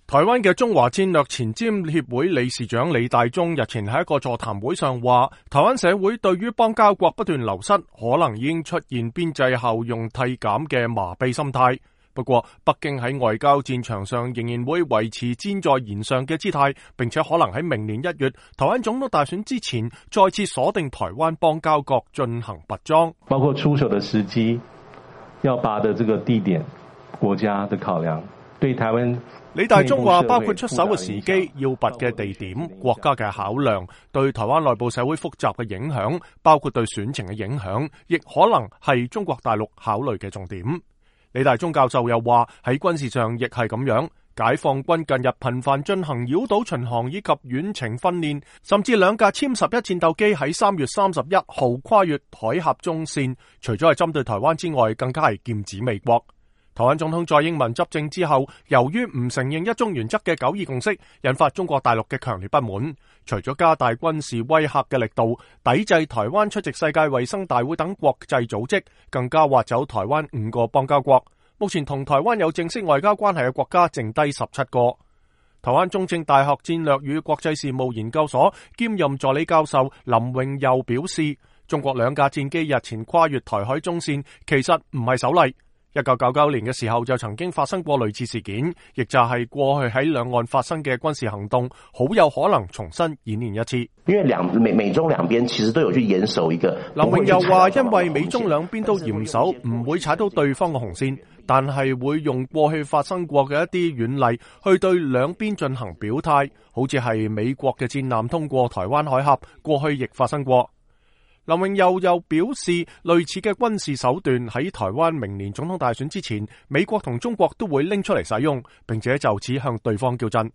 台灣嘅中華戰略前瞻協會理事長李大忠日前喺一個座談會上話，台灣社會對於邦交國不斷流失，可能已經出現邊際效用遞減嘅麻痹心態。不過，北京喺外交戰場上仍然會維持箭在弦上嘅姿態，並且可能喺明年1月台灣總統大選之前，再次鎖定台灣邦交國進行拔樁，包括出手的時機、要拔的這個地點、國家的考量，對台灣。李大忠話，包括出手嘅時機、要拔嘅地點、國家嘅考量，對台灣內部社會複雜嘅影響，包括對選情嘅影響，亦可能係中國大陸考慮嘅重點。李大忠教授又話，喺軍事上亦係咁樣，解放軍近日頻繁進行繞島巡航以及遠程訓練，甚至2架殲11戰鬥機喺3月31號跨越海峽中線，除咗係針對台灣之外，更加係劍指美國。台灣總統蔡英文執政之後，由於唔承認一中原則嘅9·2共識，引發中國大陸嘅強烈不滿。除咗加大軍事威嚇嘅力度，抵制台灣出席世界衛生大會等國際組織，更加挖走台灣5個邦交國。目前同台灣有正式外交關係嘅國家剩低17個。台灣中正大學戰略與國際事務研究所兼任助理教授林榮佑表示，中國2架戰機日前跨越台海中線，其實唔係首例。1999年嘅時候就曾經發生過類似事件，亦就係過去喺兩岸發生嘅軍事行動，好有可能重新演練一次。因為美中兩邊其實都有去嚴守一個。林榮又話，因為美中兩邊都嚴守，唔會踩到對方嘅紅線，但係會用過去發生過嘅一啲軟例去對兩邊進行表態，好似係美國嘅戰艦通過台灣海峽，過去亦發生過。林榮又表示，類似嘅軍事手段喺台灣明年總統大選之前，美國同中國都會拎出嚟使用，並且就此向對方叫陣。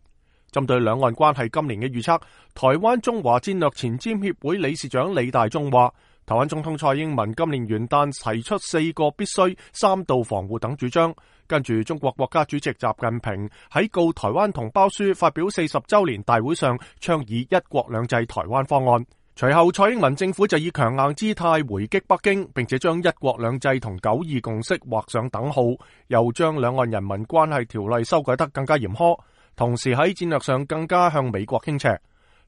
針對兩岸關係今年嘅預測，台灣中華戰略前瞻協會理事長李大忠話，台灣總統蔡英文今年元旦提出4個必須、3道防護等主張，跟住中國國家主席習近平喺告台灣同胞書發表40週年大會上倡議一國兩制台灣方案。隨後蔡英文政府就以強硬姿態回擊北京，並且將一國兩制同9·2共識畫上等號，又將兩岸人民關係條例修改得更加嚴苛，同時喺戰略上更加向美國傾斜。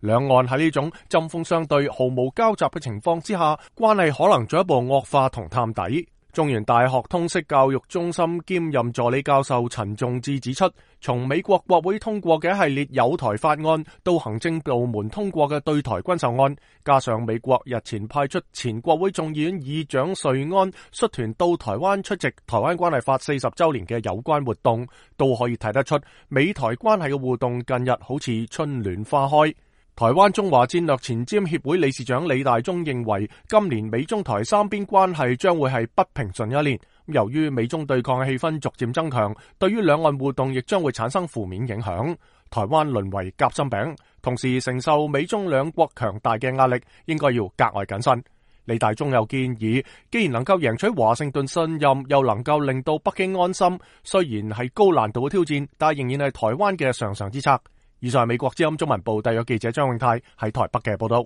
兩岸喺呢種針鋒相對、毫無交集嘅情況之下，關係可能進一步惡化同探底。中原大學通識教育中心兼任助理教授陳仲志指出，從美國國會通過嘅一系列友台法案，到行政部門通過嘅對台軍售案，加上美國日前派出前國會眾議院議長瑞安率團到台灣出席台灣關係法40週年嘅有關活動，都可以睇得出美台關係嘅互動近日好似春暖花開。台灣中華戰略前瞻協會理事長李大忠認為，今年美中台三邊關係將會係不平順一年。由於美中對抗嘅氣氛逐漸增強，對於兩岸互動亦將會產生負面影響。台灣淪為夾心餅，同時承受美中兩國強大嘅壓力，應該要格外謹慎。李大忠又建議，既然能夠贏取華盛頓信任，又能夠令到北京安心，雖然係高難度嘅挑戰，但仍然係台灣嘅上上之策。以上係美國之音中文部特約記者張永泰喺台北嘅報道。